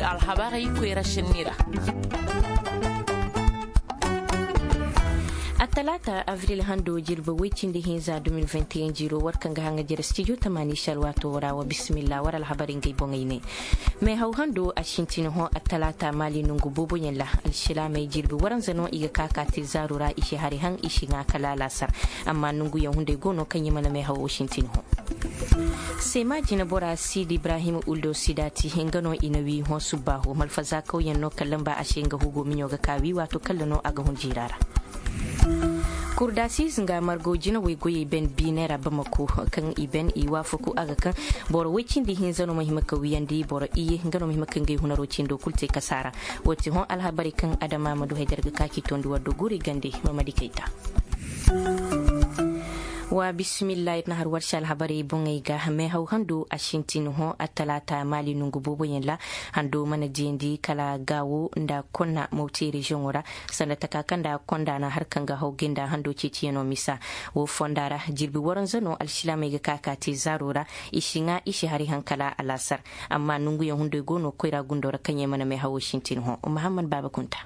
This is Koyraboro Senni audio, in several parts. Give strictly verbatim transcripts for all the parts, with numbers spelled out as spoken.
Alhabarey koyra senni ra. Attalaata abril hando jirbi woy cindi hinza deux mille vingt et un jiiro war kaŋ ga haŋa jere stijo tamaani se alwaato ra wa bisimilla war alhabarey ngey boŋey ne. Meehaw hando a sintin hõ attalaata maali nongu booboyaŋ ra. Alsilaamey jirbi waranza no i ga ka ka te zaaru ra i si hari haŋ i si ŋaa kala alaasar. Amma nonguyaŋ hunday go no kaŋ i mana meehawo sintin hõ. Seema jinebora siidi ibrahim uldo sidaati nga no i na wi hõ subbaahu malfazaakawyaŋ no kaŋ lamba a se nga hugo miɲo ga ka wi waato kalla no a ga hun jiira ra. Kurdasiiz nga margo jinawey goyey ben biine ra bamako kaŋ i ben i waafaku a ga kaŋ boro woy cindi hinza no ma hima ka wiyandi boro iye nga no ma hima ka ngey hunaro cindo kulu te kasaara. Wo ti hõ alhabarey kaŋ adama ma du haydar ga ka k'i tondi war do guri gande. Mamadi kayta. Wa bismillah ir na har warsi alhabarey boŋey ga meehaw hando a sintin hõ attalaata maali nongu booboyaŋ ra. Hando mana diyandi kala gaawo nda konna mawti reziyoŋo ra. Sanda taka kaŋ nda konda na har kaŋ ga haw ginda hando ceeciyaŋo misa. Wo fonda ra jirbi waranza no alsilaamey ga ka ka te zaaro ra. I si ŋaa i si hari haŋ kala alaasar. Amma nonguyaŋ hunday go no koyra gundo ra kaŋ yaŋ mana meehawo sintin hõ. Mahammad baaba kunta.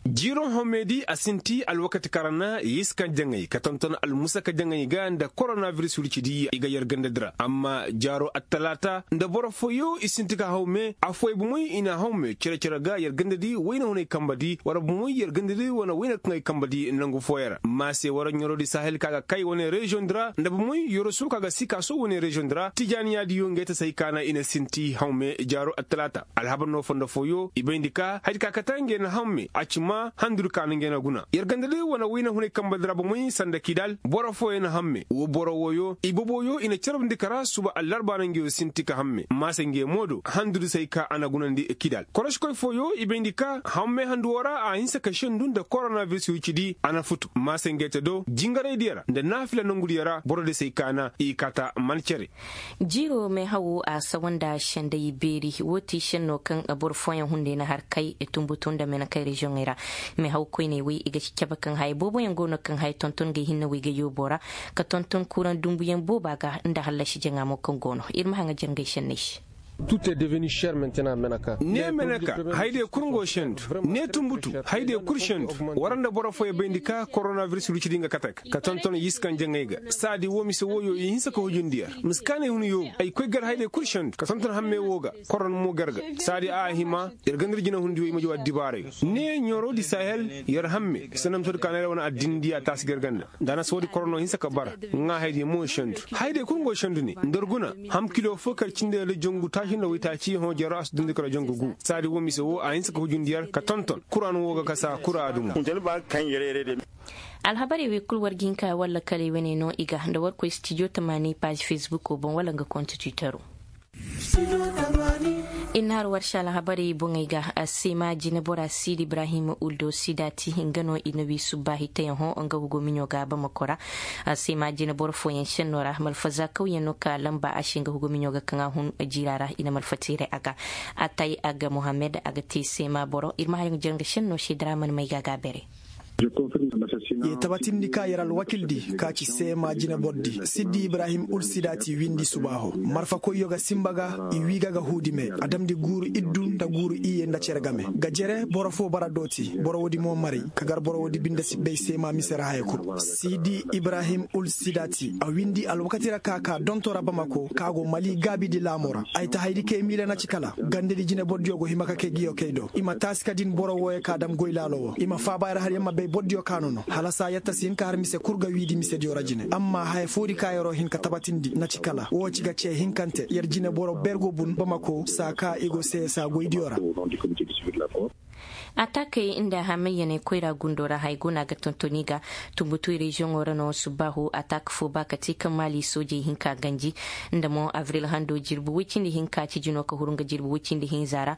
Jiiro home di a sinti alwakati kaŋ ra na yiskan jaŋay ka tonton almusaka jaŋay ga nda koronabiris wirci di i ga yer ganda di ra amma jaaro attalaata nda boro fooyo i sinti ka hawme afooyaŋ bomoy i na hawme cere cere ga yer ganda di wayna hunay kamba di wara bomoy yer ganda di wane wayna kaŋ ay kamba di nangu fooyaŋ ra maase wara ɲoro di sahel ka ga kay wane reziyoŋ di ra nda bomoy yorosu ka ga sikaaso wane reziyoŋ di ra tijaaniya diyo ngey ta say kaana i na sinti hawme jaaro attalaata. Alhabar no fondo fooyo i bayndi ka haydi ka kate ngey na hamme a ci ma handudi ka na ngey na guna yer ganda day wane wayna hunay kamba di ra bomey sanda kidal boro fooyo na hamme wo boro wooyo i boboyo i na carabndi kara suba allarba na ngey sinti ka hamme maasa ngey mo do handudi say ka a na gunandi kidal koroškoy fooyo i bayndi ka hamme handu wo ra a hinsa ka sendu nda koronabiris wicidi a na futu maasa ngey te do jingaray diya ra nda naafila nongu diya ra boro di say ka na i kata man cere. Jiiro meehawo a sawa nda senday beeri wo ti senno kaŋ boro fooyaŋ hunday na har kay tumbutu nda menekay reziyoŋey ra. Meehaw koyney wey i ga ci cabe kaŋ haya booboyaŋ go no kaŋ haya tonton ga ay hinne wey ga yoobo ra ka tonton kuraŋ dumbuyaŋ booba ga nda hallasi jaŋa mo kaŋ go no ir ma haŋa jangay senney se. Ne meneka hayday kul ngo sendu ne tumbutu hayday kul sendu. War nda boro fooyaŋ bayndi ka koronabiris rucidi nga kate ga ka tonton yiskan jaŋay ga saadi wo mise wooyo i hinsa ka hujundiyaŋ mise kaanay hun yoobu ay koy gar hayday kul sendu ka tonton hamme woo ga. Koron mo gar ga saadi a hima yer ganda ir jinahundi wey ma jaw addibaarayo ne ɲooroo di sahel yer hamme sanamtoo di kaanay ra wane addinandiya taasi gar ganda nda a na soodi korono hinsa ka bara. Ŋaa haydiyo mo sendu hayday kul ngo sendu ne nda ir guna ham kilo foo kar cindi ra jongu taaci nda waytaaci hõ jero a si dundi kar jongu gu saadi wo mise woo a hinsa ka hujundiyaŋ ka tonton kuraanu woo ga kasa kura adumo. Alhabarey wey kul war ga hin ka walla kaley wane no i ga nda war koy stijo tamaani paazi fesbuko boŋ wala nga konti twitero. Ir na har war se alhabarey boŋey ga seema jinebora siidi ibrahim uldo sidaati nga no i na wi subbaahi teyaŋo nga hugo miɲo ga bamako ra. Seema jineboro fooyaŋ senno ra malfaza kawyaŋ no ka lamba a se nga hugo miɲo ga kaŋ a hun jiira ra i na malfa teeray a ga. Atay a ga mohammed a ga te seema boro ir ma har nga jere nga senno se daraman may ga a ga a bere. Ye tabatindi ka yer alwakildi ka ci seema jinebor di siddi ibrahim ulsidati windi subaaho marfakoyyo ga simba ga i wii ga ga huudi me a damndi guuru iddu nda guuru iyye nda cere game ga jere boro foo bara dooti boro woodi mo maray ka gar boro woodi binde si bay seema mise ra haya kul siddi ibrahim ulsidati a windi alwakati ra ka ka donto ra bamako ka go mali gaabidi laamo ra ay ta haydi kay miila na ci kala gandedi jinebordiyo go hima ka kay giyo kay do i ma taasi ka din boro wooyo ka dam goy laalo wo i ma faaba yer har yer ma bay bordiyo ka no no hala saa yer ta si hin ka har mise kul ga wiidi misediyo ra jine amma haya foodi ka yeroo hin ka tabatindi na ci kala woo ci ga cee hinkante yer jineboro bergo bun bamako saa ka i go seesaa goydiyo ra. Atakey nda hamayyaney koyra gundo ra haya go no a ga tonton i ga tumbutuy reziyoŋo ra no subbaahu atak foo ba ka te kaŋ maali soojey hinka ganji nda mo abril hando jirbi woy cindi hinka ci jino ka huru nga jirbi woy cindi hinza ra.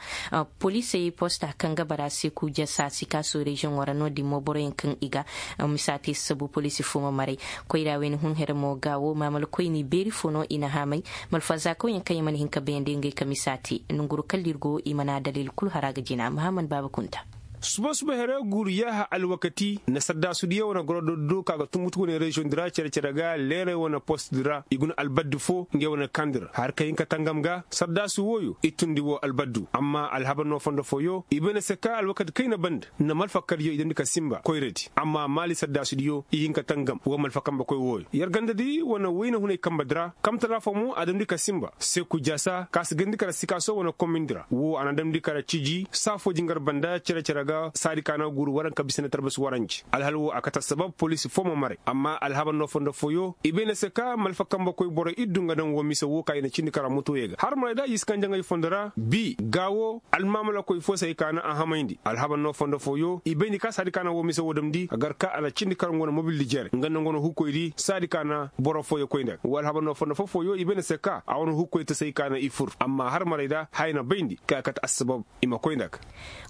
Poliisey posta kaŋ ga bara seeku jasa sikaaso reziyoŋo ra no-din mo boroyaŋ kaŋ i ga misa te sabu poliisi foo ma maray. Koyra wayne hun here mo ga wo maamalkoyni beeri foo no i na haamay malfazaakawyaŋ kaŋ yaŋ mana hin ka bayandi ngey ka misa te nonguru kala ir go i mana daliil kul hara ga jina mahammad baaba kunta. Suba-suba here guuru yaaha alwakati na saddaasudiyo wane goro doddo ka ga tumbutu wane reziyoŋ di ra cere-cere ga leeray wane post di ra i guna albaddi fo ngey wane kandi ra har ka hin ka tangam ga saddaasu wooyo i tundi woo albaddu amma alhabar no fondo fooyo i bay na se ka alwakati kayna banda na malfa kardiyo i damndi ka sinba koyradi amma maali saddaasudiyo i hin ka tangam woo malfa kambe koy wooyo yer gandadi wane wayna hunay kambe di ra kamtala fo mo a damndi ka sinba seku jaasa ka si gandi kara sikaaso wane komindi ra woo a na damndi kara ciji saa foo jingar banda cere-cere ga saadi ka na guuru waranka bisa na tarbasi waranji alhal woo a kate assabab poliisi foo ma maray amma alhabar no fondo fooyo i bay na se ka malfa kambe koy borey iddu nga daŋ woo mise woo ka i na cindi kara motoyey ga har maray da i si kaŋ jaŋay fondo ra bi gaa woo almaamalakoy foo se hay ka na a hamayndi alhabar no fondo fooyo i bayndi ka saadi ka na woo mise woo damndi a gar ka a na cindi kara nga wane mobildi jere nga nda nga wane hukkoydi saadi ka na boro fooyo koy nda ga woo alhabar no fondo foo fooyo i bayndi se ka a wane hukkoy ta se hay ka na i fur amma har maray da haya na bayndi ka a kate assabab i ma koy nda ga.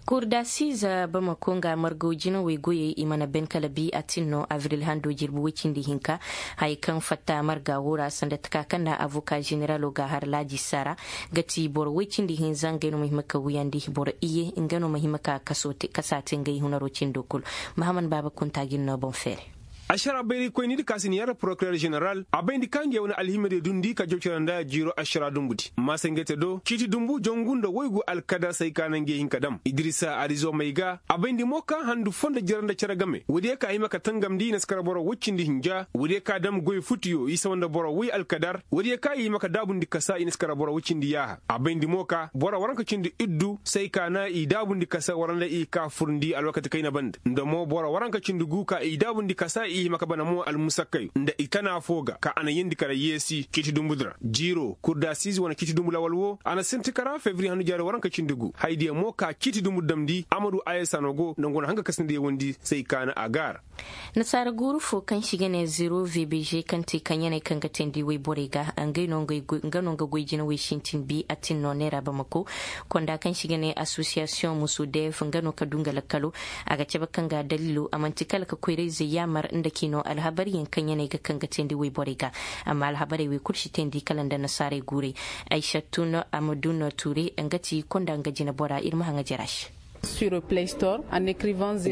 Kurdasiiza bamako nga margaw jinawey goyey i mana ben kala bi a tin no abril hando jirbi woy cindi hinka haya kaŋ fatta marga woo ra sanda taka kaŋ na avoka ženeralo ga har laaji sara ga ti boro woy cindi hinza ngey no ma hima ka wuyandi boro iye nga no ma hima ka kasa te ngey hunaro cindo kul. Mahaman baaba kunta ga ir no boŋ feere. Ašara bayraykoyni di ka si ni yar porokirer ženeral a bayndi ka ngey wane alhimadiyo dundi ka jawcara nda jiiro ašara dumbudi maasangey te do ciiti dumbu jongu nda waygu alkadar se hay ka na ngey hin ka dam idirisa arizomey ga a bayndi mo ka handu foo nda jere nda cere game woodiyo ka a hima ka tangamndi i na si kara boro woy cindi hinja woodiyo ka dam goy futiyo i sawa nda boro woy alkadar woodiyo ka i hima ka daabundi kasa i na si kara boro woy cindi yaaha a bayndi mo ka boro waranka cindi iddu se hay ka na i daabundi kasa wara nda i ka furndi alwakati kayna banda nda mo boro waranka cindi gu ka i daabundi kasa i hima ka bana mo almusakkayo nda i tana foo ga ka a na yeendi kara yeesi ciiti dumbudi ra jiiro kurdasiize wane ciiti dumbu lawal woo a na sinti kara febri handu jaari waranka cindi gu hayadiyo mo ka ciiti dumbu damndi amadu ayesa no go nda ngu na haŋ ka kasindiyo windi se hay ka na a gaara. Nasaara guuru fo kaŋ se i ga ne zero vbg kaŋ te kaŋ yaney kaŋ ga teendi woyborey ga nga no nga goy jina woy sintin bi a tin no neera bamako konda kaŋ se i ga ne asosiyasiyoŋ musu dev nga no ka du nga lakkalo a ga cabe kaŋ ga daliilo a man'ti kala ka koyrayzey yaamar nda k'i no alhabaryaŋ kaŋ yaney ga kaŋ ga teendi woyborey ga. Amma alhabarey wey kul si teendi kala nda nasaarey guurey. Aysattun amadun ture nga ti konda nga jinabora ir ma haŋa jera se.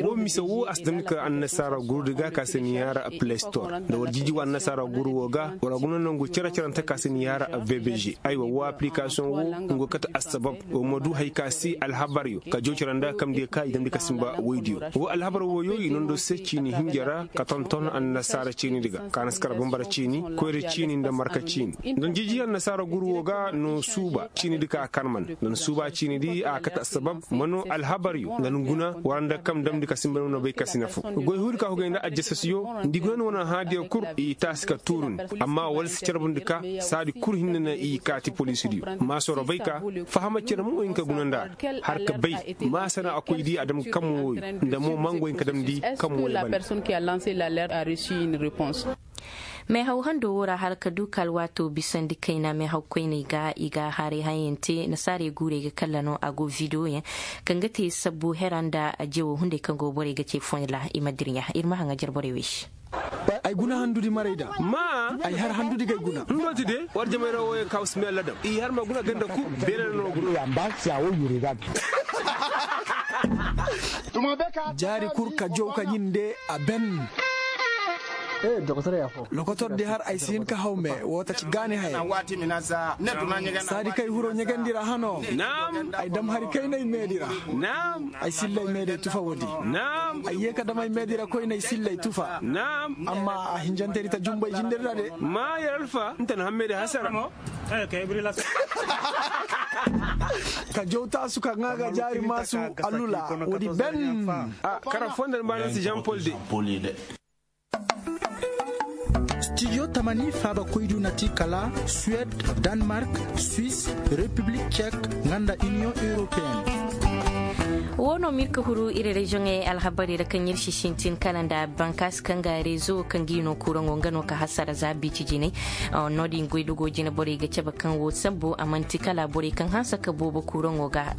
Wo mise wo a si daŋ ka annasaara guru di ga ka si ni yaara play store nda war jinji wa annasaara guru wo ga war guna nangu cere-cerante ka si ni yaara vbg. Aywa wo application wo nga kate assabab wa ma du hari ka si alhabaryo ka joocira nda kamdiyo ka i damndi ka simba woydiyo. Wo alhabar woyo i nondo se ciini hinja ra ka tonton annasaara ciini di ga ka na si kara bambara ciini koyra ciini nda marka ciini. Nda jinji annasaara guru wo ga no suuba ciini di ka a karman nda na suuba ciini di a kate assabab ma no alhabaryo nda na guna wara nda kam damndi ka simba no bay ka si nafu goy huudi ka hugay nda ajjasasiyo nda i guna ni wane haadiyo kul i taasi ka tuurundi. Amma wala si carbundi ka saadi kul hinne na i kaati poliisidiyo. Maasoro bay ka fahama cere mo hin ka guna nda a ra har ka bay maasa na a koy di a dam kam wooyo nda mo mango hin ka damndi kam wooyo banda. Meehaw hando wo ra hala ka du ka alwaato bisandi kayna meehaw koyney ga i ga haray hayaŋ te nasaarey guurey ga kalla no a go videoyaŋ kaŋ ga te sabbu hera nda jewo hunday kaŋ go borey ga ce foyla i ma dirɲa ir ma haŋa jarborey wey se. Ay guna handudi marayda ma ay har handudi gay guna. Ndooti de war jamay ra woyo ka usmiyalla dam i har ma guna ganda ku beene no guna. Jaari kul ka jow ka ɲinde a ben. Lokotor di har ay si hin ka haw me woo taci gaani haya. Saadi kay huro ɲegandi ra hano. Ay dam hari kaynay meedi ra. Ay sillay meedey tufa woodi. Ay yee ka dam ay meedi ra koynay sillay tufa. Amma a hinjantey di ta jumbay jindiri ra de. Ma yer alfa nta na hammey di hasara. Ka jow taasu ka ŋaa ga jaari maasu alula woodi ben. Kara foo nda ni baana si jean paul de. Studio tamani faaba koydu na ti kala suwed, danmark, swis, repiblik cek, nga nda iniyoŋ europeen. Woo no ma ir ka huru ir reziyoŋey alhabarey ra kaŋ ir si sintin kala nda bankaasi kaŋ ga rezo kaŋ ga i no kuraŋo nga no ka hasara za biiti jinay. No- din goydogoo jine borey ga cabe kaŋ woo sambu a man'ti kala borey kaŋ hanse ka boobo kuraŋo ga.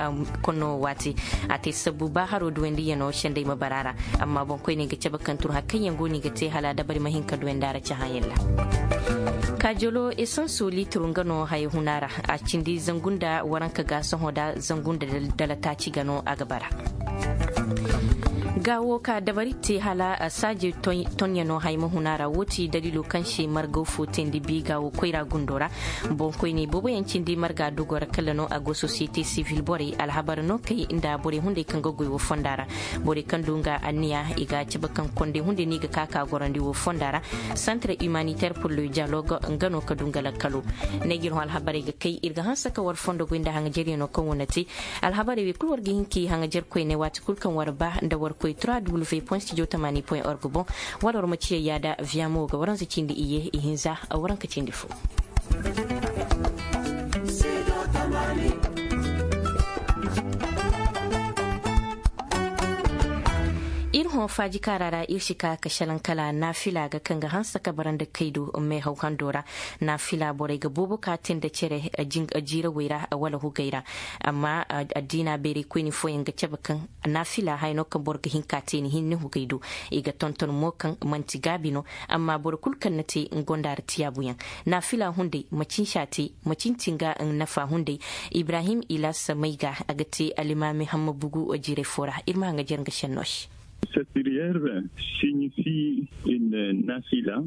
Konno waati a te sabbu ba haro duwandiyanoo senday ma bara a ra. Amma boŋkoyney ga cabe kaŋ tun hari kaŋ yaŋ go no i ga te hala dabari ma hin ka duwandi a ra cahãyaŋ ra. Kaajalo esanso liitiro nga no haya huna ra. A cindi zangu nda waranka ga sohõ da zangu nda dala taaci ga no a ga bara. Ga wo ka dabari te hala saaji tonyanoo hay ma hun a ra wo ti daliiloo kaŋ se margaw fo teendi biiga wo koyra gundo ra. Boŋkoyney booboyaŋ cindi marga dogoo ra kala no a go sosiyete sivil borey alhabar no kay nda borey hunday kaŋ ga goy wo fonda ra. Borey kaŋ du nga anniya i ga a cabe kaŋ kondey hunday no i ga ka ka gorandi wo fonda ra. Santre humanitaire pour le dialogue nga no ka du nga lakkalo. Ne ga ir hõ alhabarey ga kay ir ga hanse ka war fondo goy nda haŋajeryanoo kaŋ wane te. Alhabarey wey kul war ga hin ka i haŋajer koyne waati kul kaŋ war ba nda war koy trois w point studio tamani point org boŋ. Wala war ma ciya yaada viamo ga waranza cindi iye ihinza waranka cindi fo. Ir hõ faaji kaara ra ir si ka ka šelaŋ kala naafila ga kaŋ ga hanse ka bara nda kaydu meehaw hando ra. Naafila borey ga boobo ka te nda cere jiirawey ra wala hugey ra. Amma addiina bayraykoyni fooyaŋ ga cabe kaŋ naafila haya no kaŋ boro ga hin ka te ni hinne hugey do. I ga tonton mo kaŋ man'ti gaabi no. Amma boro kul kaŋ na te nga gonda ra tiyaabuyaŋ. Naafila hunday macin se a te macin ti nga nafa hunday. Ibrahim ilas mayga a ga te alimaami hamma bugu jiiray fo ra ir ma haŋajer nga šennoo se. Satiriyer siɲifi in naafila.